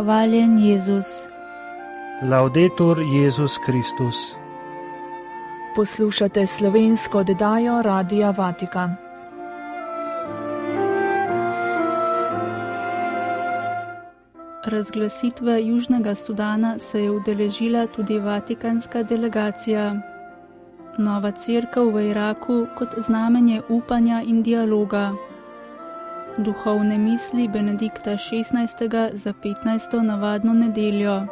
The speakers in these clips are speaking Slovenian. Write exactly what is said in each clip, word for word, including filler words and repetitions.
Hvaljen Jezus. Laudetur Jezus Kristus. Poslušate slovensko oddajo Radia Vatikan. Razglasitve Južnega Sudana se je udeležila tudi vatikanska delegacija. Nova cerkev v Iraku kot znamenje upanja in dialoga. Duhovne misli Benedikta šestnajstega za petnajsto navadno nedeljo.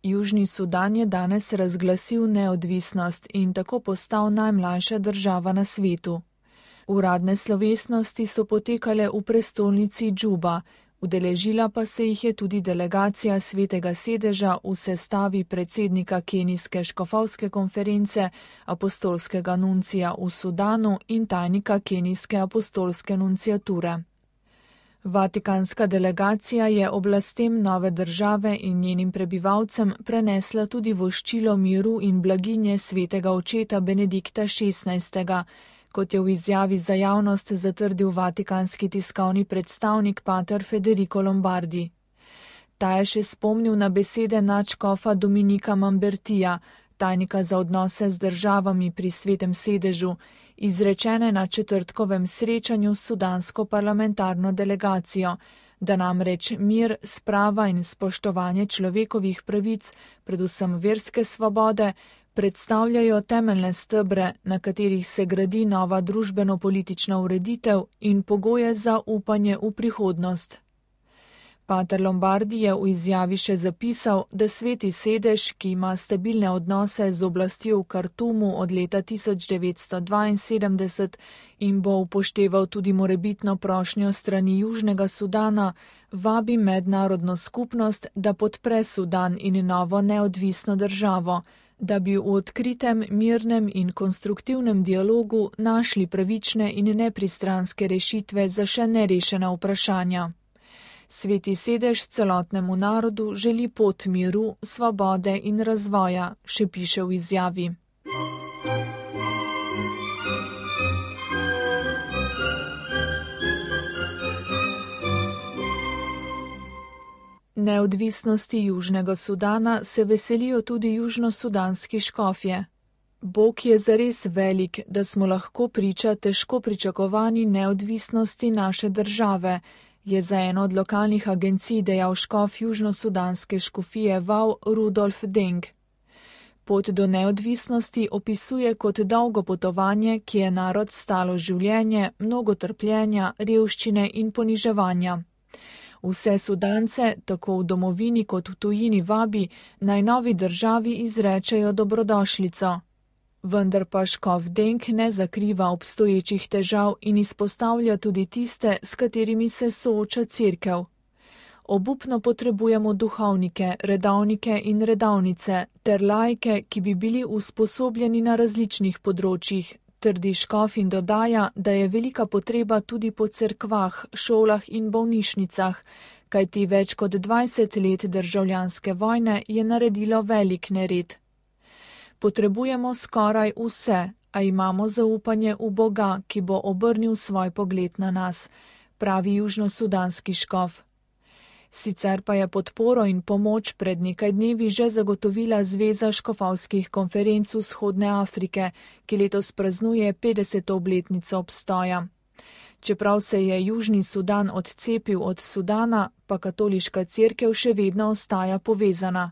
Južni Sudan je danes razglasil neodvisnost in tako postal najmlajša država na svetu. Uradne slovesnosti so potekale v prestolnici Džuba, udeležila pa se jih je tudi delegacija Svetega sedeža v sestavi predsednika Kenijske škofovske konference, apostolskega nuncija v Sudanu in tajnika Kenijske apostolske nunciature. Vatikanska delegacija je oblastem nove države in njenim prebivalcem prenesla tudi voščilo miru in blaginje svetega očeta Benedikta šestnajstega, kot je v izjavi za javnost zatrdil vatikanski tiskovni predstavnik pater Federico Lombardi. Ta je še spomnil na besede nadškofa Dominika Mambertija, tajnika za odnose z državami pri Svetem sedežu, izrečene na četrtkovem srečanju s sudansko parlamentarno delegacijo, da namreč mir, sprava in spoštovanje človekovih pravic, predvsem verske svobode, predstavljajo temeljne stebre, na katerih se gradi nova družbeno-politična ureditev in pogoje za upanje v prihodnost. Pater Lombardi je v izjavi še zapisal, da Sveti sedež, ki ima stabilne odnose z oblastjo v Kartumu od leta tisoč devetsto dvainsedemdeset in bo upošteval tudi morebitno prošnjo strani Južnega Sudana, vabi mednarodno skupnost, da podpre Sudan in novo neodvisno državo, da bi v odkritem, mirnem in konstruktivnem dialogu našli pravične in nepristranske rešitve za še nerešena vprašanja. Sveti sedež celotnemu narodu želi pot miru, svobode in razvoja, še piše v izjavi. Neodvisnosti Južnega Sudana se veselijo tudi južnosudanski škofje. Bog je zares velik, da smo lahko priča težko pričakovani neodvisnosti naše države, je za eno od lokalnih agencij dejal škof južnosudanske škofije Vau Rudolf Deng. Pot do neodvisnosti opisuje kot dolgo potovanje, ki je narod stalo življenje, mnogo trpljenja, revščine in poniževanja. Vse Sudance, tako v domovini kot v tujini vabi, naj novi državi izrečejo dobrodošlico. Vendar pa škof Deng ne zakriva obstoječih težav in izpostavlja tudi tiste, s katerimi se sooča cerkev. Obupno potrebujemo duhovnike, redovnike in redovnice ter laike, ki bi bili usposobljeni na različnih področjih, trdi škof in dodaja, da je velika potreba tudi po cerkvah, šolah in bolnišnicah, kajti več kot dvajset let državljanske vojne je naredilo velik nered. Potrebujemo skoraj vse, a imamo zaupanje v Boga, ki bo obrnil svoj pogled na nas, pravi južnosudanski škof. Sicer pa je podporo in pomoč pred nekaj dnevi že zagotovila Zveza škofovskih konferenc Vzhodne Afrike, ki letos praznuje petdeseto obletnico obstoja. Čeprav se je Južni Sudan odcepil od Sudana, pa katoliška cerkev še vedno ostaja povezana.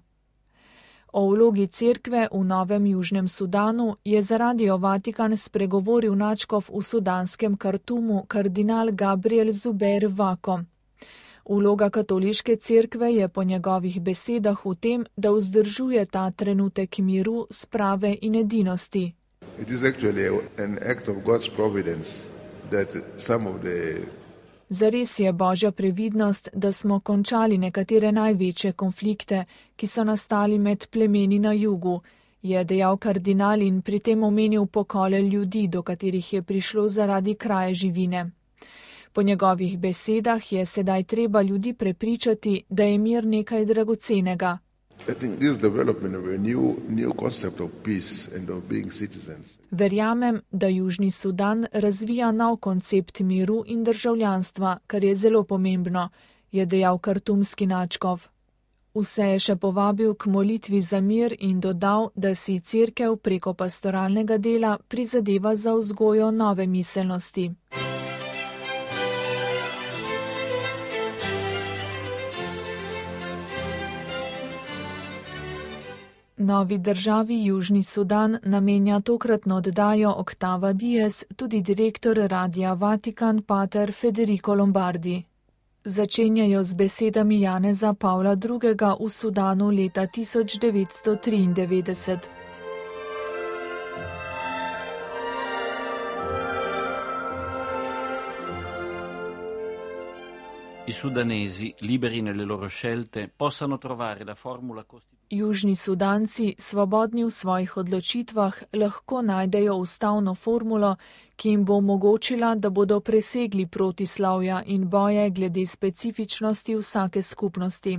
O vlogi cerkve v novem Južnem Sudanu je za Radio Vatikan spregovoril nadškof v sudanskem Kartumu kardinal Gabriel Zubeir Vako. Vloga katoliške cerkve je po njegovih besedah v tem, da vzdržuje ta trenutek miru, sprave in edinosti. It is actually an act of God's providence that some of the Zares je Božja previdnost, da smo končali nekatere največje konflikte, ki so nastali med plemeni na jugu, je dejal kardinal in pri tem omenil pokole ljudi, do katerih je prišlo zaradi kraje živine. Po njegovih besedah je sedaj treba ljudi prepričati, da je mir nekaj dragocenega. I think this development of a new, new concept of peace and of being citizens. Verjamem, da Južni Sudan razvija nov koncept miru in državljanstva, kar je zelo pomembno, je dejal kartumski nadškof. Vse je še povabil k molitvi za mir in dodal, da si cerkev preko pastoralnega dela prizadeva za vzgojo nove miselnosti. Novi državi Južni Sudan namenja tokratno oddajo Octava Dies tudi direktor Radia Vatikan pater Federico Lombardi. Začenjajo z besedami Janeza Pavla drugega. v Sudanu leta tisoč devetsto triindevetdeset. I sudanesi, liberi nelle loro scelte, possano trovare la formula costituzionale. Južni Sudanci, svobodni v svojih odločitvah, lahko najdejo ustavno formulo, ki jim bo omogočila, da bodo presegli protislavja in boje glede specifičnosti vsake skupnosti.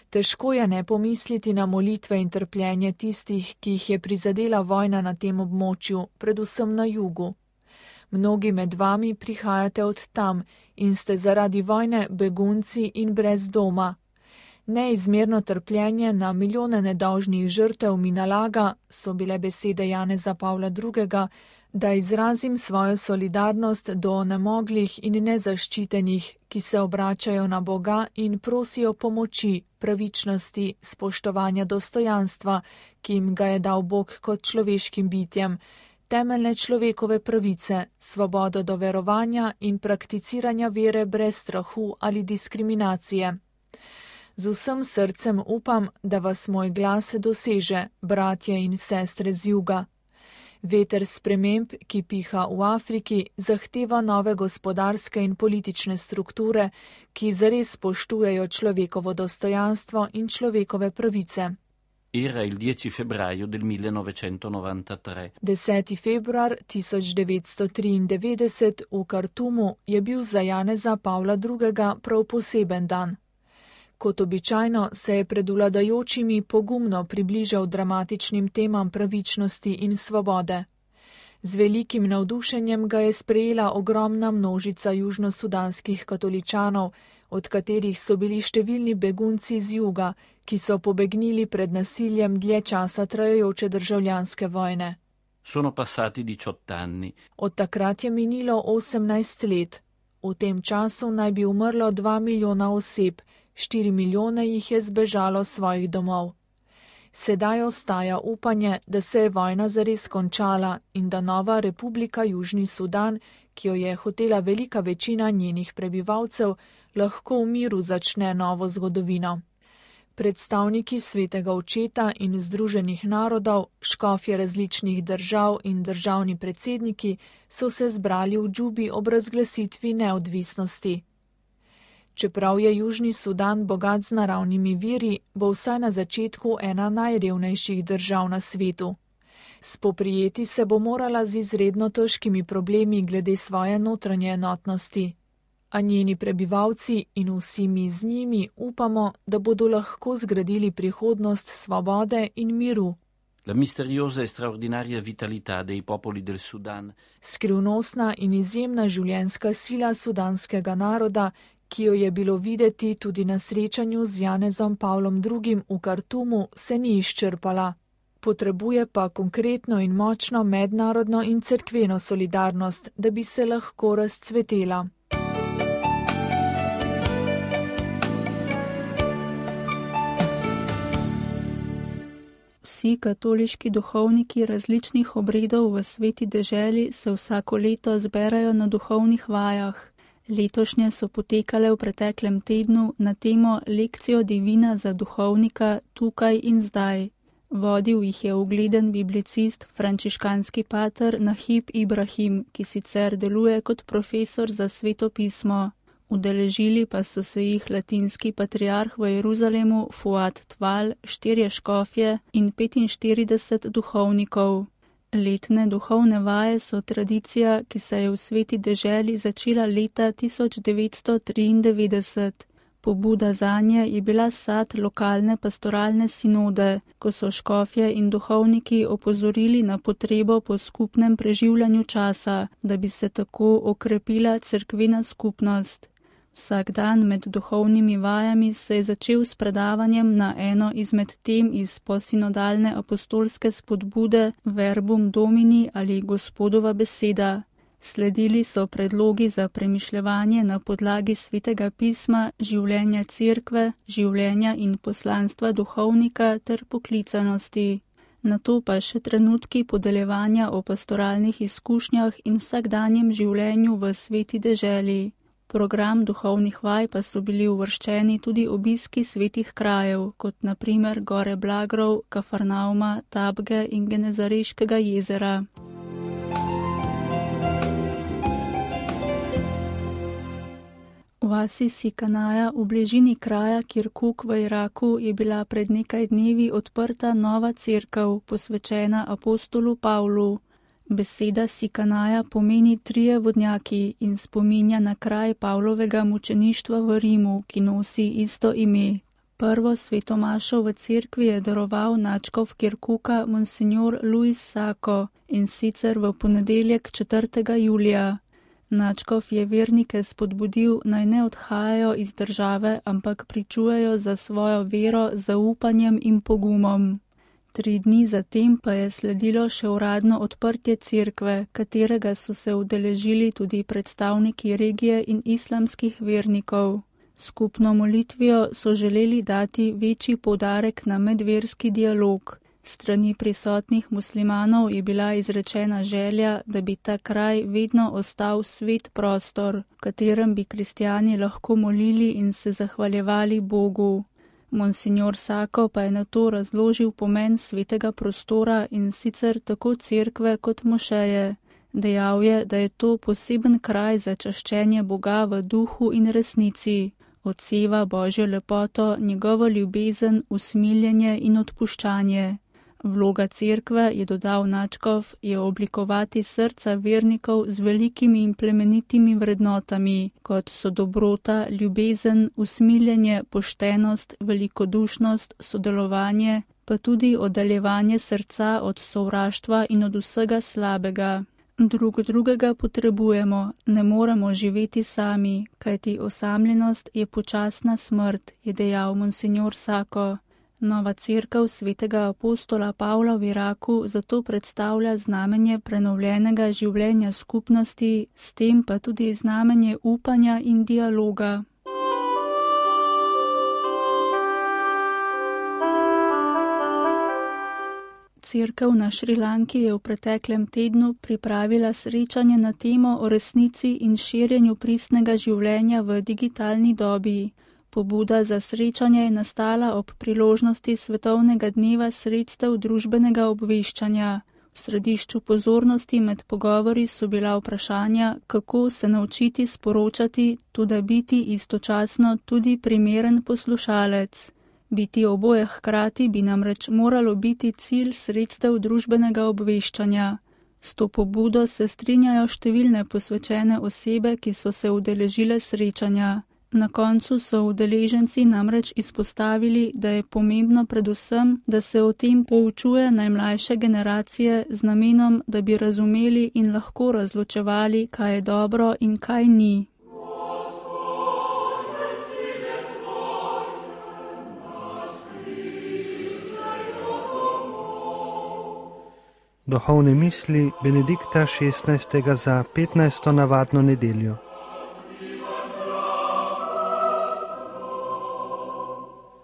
Težko je ne pomisliti na molitve in trpljenje tistih, ki jih je prizadela vojna na tem območju, predvsem na jugu. Mnogi med vami prihajate od tam in ste zaradi vojne begunci in brez doma. Neizmerno trpljenje na milijone nedolžnih žrtev mi nalaga, so bile besede Janeza Pavla drugega., da izrazim svojo solidarnost do nemoglih in nezaščitenih, ki se obračajo na Boga in prosijo pomoči, pravičnosti, spoštovanja dostojanstva, ki jim ga je dal Bog kot človeškim bitjem, temeljne človekove pravice, svobodo do verovanja in prakticiranja vere brez strahu ali diskriminacije. Z vsem srcem upam, da vas moj glas doseže, bratje in sestre z juga. Veter sprememb, ki piha v Afriki, zahteva nove gospodarske in politične strukture, ki zares spoštujejo človekovo dostojanstvo in človekove pravice. Era il dieci febbraio del millenovecentonovantatré. deseti februar tisoč devetsto triindevetdeset v Kartumu je bil za Janeza Pavla drugega. prav poseben dan. Kot običajno se je pred vladajočimi pogumno približal dramatičnim temam pravičnosti in svobode. Z velikim navdušenjem ga je sprejela ogromna množica južnosudanskih katoličanov, od katerih so bili številni begunci z juga, ki so pobegnili pred nasiljem dlje časa trajajoče državljanske vojne. Sono passati diciotto anni. Od takrat je minilo osemnajst let. V tem času naj bi umrlo dva milijona oseb, štiri milijone jih je zbežalo svojih domov. Sedaj ostaja upanje, da se je vojna zares končala in da nova republika Južni Sudan, ki jo je hotela velika večina njenih prebivalcev, lahko v miru začne novo zgodovino. Predstavniki Svetega Očeta in Združenih narodov, škofje različnih držav in državni predsedniki so se zbrali v Džubi ob razglasitvi neodvisnosti. Čeprav je Južni Sudan bogat z naravnimi viri, bo vsaj na začetku ena najrevnejših držav na svetu. Spoprijeti se bo morala z izredno težkimi problemi glede svoje notranje enotnosti. A njeni prebivalci in vsi mi z njimi upamo, da bodo lahko zgradili prihodnost svobode in miru. La misteriosa e straordinaria vitalità dei popoli del Sudan. Skrivnostna in izjemna življenjska sila sudanskega naroda, ki jo je bilo videti tudi na srečanju z Janezom Pavlom drugim. v Kartumu, se ni izčrpala. Potrebuje pa konkretno in močno mednarodno in cerkveno solidarnost, da bi se lahko razcvetela. Vsi katoliški duhovniki različnih obredov v sveti deželi se vsako leto zberajo na duhovnih vajah. Letošnje so potekale v preteklem tednu na temo Lekcijo divina za duhovnika tukaj in zdaj. Vodil jih je ugleden biblicist, frančiškanski pater Nahib Ibrahim, ki sicer deluje kot profesor za sveto pismo. Udeležili pa so se jih latinski patriarh v Jeruzalemu Fuad Tval, štirje škofje in petinštirideset duhovnikov. Letne duhovne vaje so tradicija, ki se je v sveti deželi začela leta tisoč devetsto triindevetdeset. Pobuda zanje je bila sad lokalne pastoralne sinode, ko so škofje in duhovniki opozorili na potrebo po skupnem preživljanju časa, da bi se tako okrepila cerkvena skupnost. Vsak dan med duhovnimi vajami se je začel s predavanjem na eno izmed tem iz posinodalne apostolske spodbude Verbum Domini ali Gospodova beseda. Sledili so predlogi za premišljevanje na podlagi svetega pisma, življenja cerkve, življenja in poslanstva duhovnika ter poklicanosti. Nato pa še trenutki podeljevanja o pastoralnih izkušnjah in vsakdanjem življenju v sveti deželi. Program duhovnih vaj pa so bili uvrščeni tudi obiski svetih krajev, kot na primer gore Blagrov, Kafarnauma, Tabge in Genezareškega jezera. V vasi Sikanaja v bližini kraja Kirkuk v Iraku je bila pred nekaj dnevi odprta nova cerkev, posvečena apostolu Pavlu. Beseda Sikanaja pomeni trije vodnjaki in spominja na kraj Pavlovega mučeništva v Rimu, ki nosi isto ime. Prvo svetomašo v cerkvi je daroval nadškof Kirkuka monsignor Luis Sako in sicer v ponedeljek četrtega julija. Nadškof je vernike spodbudil, naj ne odhajajo iz države, ampak pričujejo za svojo vero z zaupanjem in pogumom. Tri dni zatem pa je sledilo še uradno odprtje cerkve, katerega so se udeležili tudi predstavniki regije in islamskih vernikov. Skupno molitvijo so želeli dati večji poudarek na medverski dialog. Strani prisotnih muslimanov je bila izrečena želja, da bi ta kraj vedno ostal svet prostor, v katerem bi kristjani lahko molili in se zahvaljevali Bogu. Monsignor Sako pa je na to razložil pomen svetega prostora in sicer tako cerkve kot mošeje. Dejal je, da je to poseben kraj za čaščenje Boga v duhu in resnici. Odseva Božjo lepoto, njegovo ljubezen, usmiljenje in odpuščanje. Vloga cerkve, je dodal nadškof, je oblikovati srca vernikov z velikimi in plemenitimi vrednotami, kot so dobrota, ljubezen, usmiljenje, poštenost, velikodušnost, sodelovanje, pa tudi oddaljevanje srca od sovraštva in od vsega slabega. Drug drugega potrebujemo, ne moremo živeti sami, kajti osamljenost je počasna smrt, je dejal monsignor Sako. Nova cerkev svetega apostola Pavla v Iraku zato predstavlja znamenje prenovljenega življenja skupnosti, s tem pa tudi znamenje upanja in dialoga. Cerkev na Šrilanki je v preteklem tednu pripravila srečanje na temo o resnici in širjenju pristnega življenja v digitalni dobi. Pobuda za srečanje je nastala ob priložnosti Svetovnega dneva sredstev družbenega obveščanja. V središču pozornosti med pogovori so bila vprašanja, kako se naučiti sporočati, tudi biti istočasno tudi primeren poslušalec. Biti oboje hkrati bi namreč moralo biti cilj sredstev družbenega obveščanja. S to pobudo se strinjajo številne posvečene osebe, ki so se udeležile srečanja. Na koncu so udeleženci namreč izpostavili, da je pomembno predvsem, da se o tem poučuje najmlajše generacije z namenom, da bi razumeli in lahko razločevali, kaj je dobro in kaj ni. Duhovne misli Benedikta šestnajstega za petnajsto navadno nedeljo.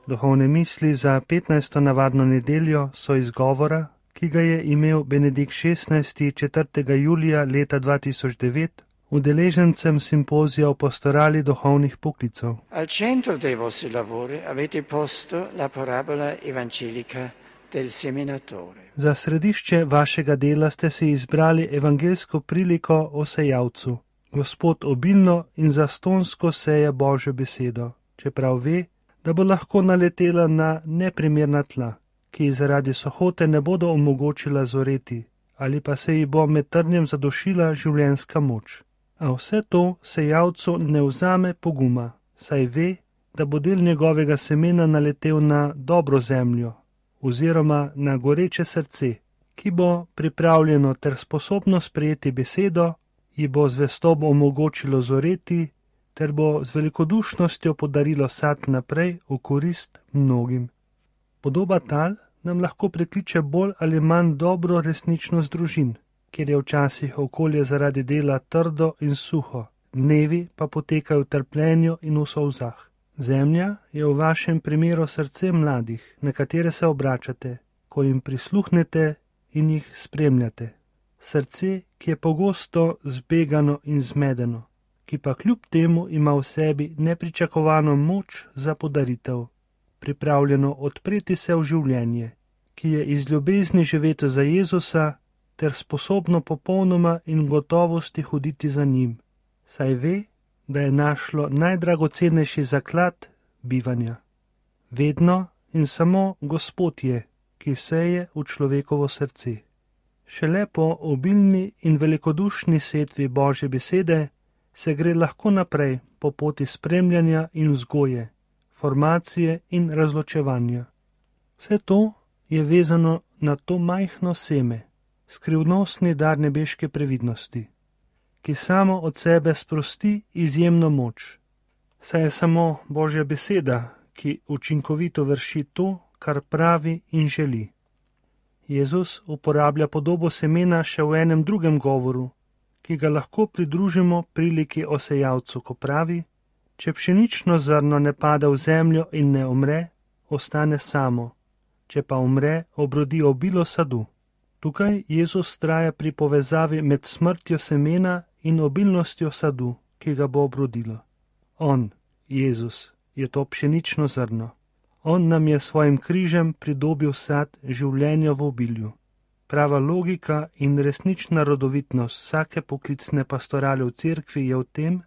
Duhovne misli za petnajsto navadno nedeljo so izgovora, ki ga je imel Benedikt šestnajsti četrtega julija leta dva tisoč devet udeležencem simpozija o pastorali duhovnih poklicev. Al centro dei vostri lavori avete posto la parabola evangelica del seminatore. Za središče vašega dela ste si izbrali evangeljsko priliko o sejavcu. Gospod obilno in zastonsko seje Božjo besedo, čeprav ve, da bo lahko naletela na neprimerna tla, ki zaradi sohote ne bodo omogočila zoreti, ali pa se ji bo med trnjem zadušila življenjska moč. A vse to sejavcu ne vzame poguma, saj ve, da bo del njegovega semena naletel na dobro zemljo oziroma na goreče srce, ki bo pripravljeno ter sposobno sprejeti besedo, ji bo zvestob omogočilo zoreti ter bo z velikodušnostjo podarilo sad naprej v korist mnogim. Podoba tal nam lahko prikliče bolj ali manj dobro resničnost družin, kjer je včasih okolje zaradi dela trdo in suho, dnevi pa potekajo v trpljenju in v solzah. Zemlja je v vašem primeru srce mladih, na katere se obračate, ko jim prisluhnete in jih spremljate. Srce, ki je pogosto zbegano in zmedeno, ki pa kljub temu ima v sebi nepričakovano moč za podaritev, pripravljeno odpreti se v življenje, ki je iz ljubezni živeti za Jezusa ter sposobno popolnoma in gotovosti hoditi za njim, saj ve, da je našlo najdragocenejši zaklad bivanja. Vedno in samo Gospod je, ki seje v človekovo srce. Šele po obilni in velikodušni setvi Božje besede se gre lahko naprej po poti spremljanja in vzgoje, formacije in razločevanja. Vse to je vezano na to majhno seme, skrivnostni dar nebeške previdnosti, ki samo od sebe sprosti izjemno moč. Saj je samo Božja beseda, ki učinkovito vrši to, kar pravi in želi. Jezus uporablja podobo semena še v enem drugem govoru, ki ga lahko pridružimo priliki o sejalcu, ko pravi: če pšenično zrno ne pade v zemljo in ne umre, ostane samo, če pa umre, obrodi obilo sadu. Tukaj Jezus vztraja pri povezavi med smrtjo semena in obilnostjo sadu, ki ga bo obrodilo. On, Jezus, je to pšenično zrno. On nam je svojim križem pridobil sad življenja v obilju. Prava logika in resnična rodovitnost vsake poklicne pastorale v cerkvi je v tem,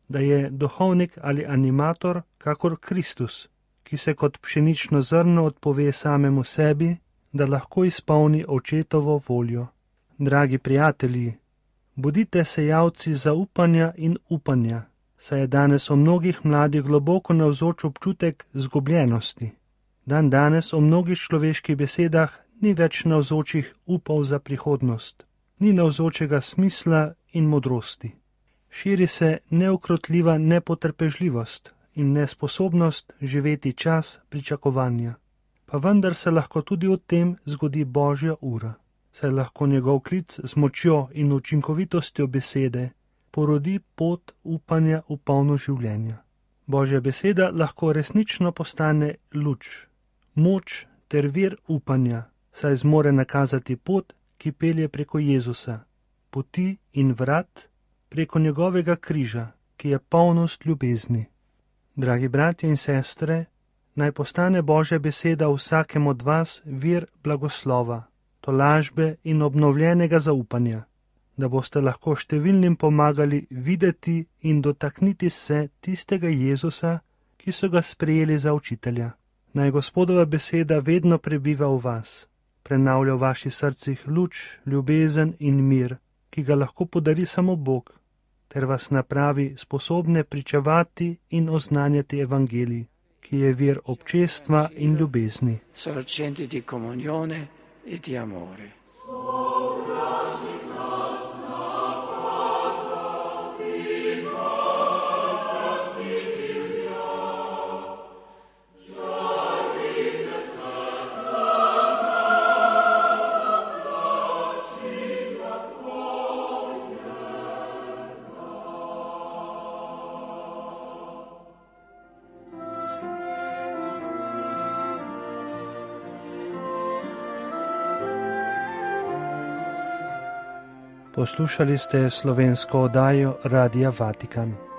da je duhovnik ali animator kakor Kristus, ki se kot pšenično zrno odpove samemu sebi, da lahko izpolni očetovo voljo. Dragi prijatelji, bodite sejalci zaupanja in upanja, saj je danes o mnogih mladih globoko navzoč občutek zgubljenosti. Dan danes o mnogih človeških besedah ni več navzočih upov za prihodnost, ni navzočega smisla in modrosti. Širi se neukrotljiva nepotrpežljivost in nesposobnost živeti čas pričakovanja. Pa vendar se lahko tudi v tem zgodi Božja ura, saj lahko njegov klic z močjo in učinkovitostjo besede porodi pot upanja v polno življenja. Božja beseda lahko resnično postane luč, moč ter vir upanja, saj zmore nakazati pot, ki pelje preko Jezusa, poti in vrat preko njegovega križa, ki je polnost ljubezni. Dragi bratje in sestre, naj postane Božja beseda vsakem od vas vir blagoslova, tolažbe in obnovljenega zaupanja, da boste lahko številnim pomagali videti in dotakniti se tistega Jezusa, ki so ga sprejeli za učitelja. Naj Gospodova beseda vedno prebiva v vas, prenavlja v vaših srcih luč, ljubezen in mir, ki ga lahko podari samo Bog, ter vas napravi sposobne pričevati in oznanjati evangelij, ki je vir občestva in ljubezni. Sorgenti di comunione e di amore. Poslušali ste slovensko oddajo Radia Vatikan.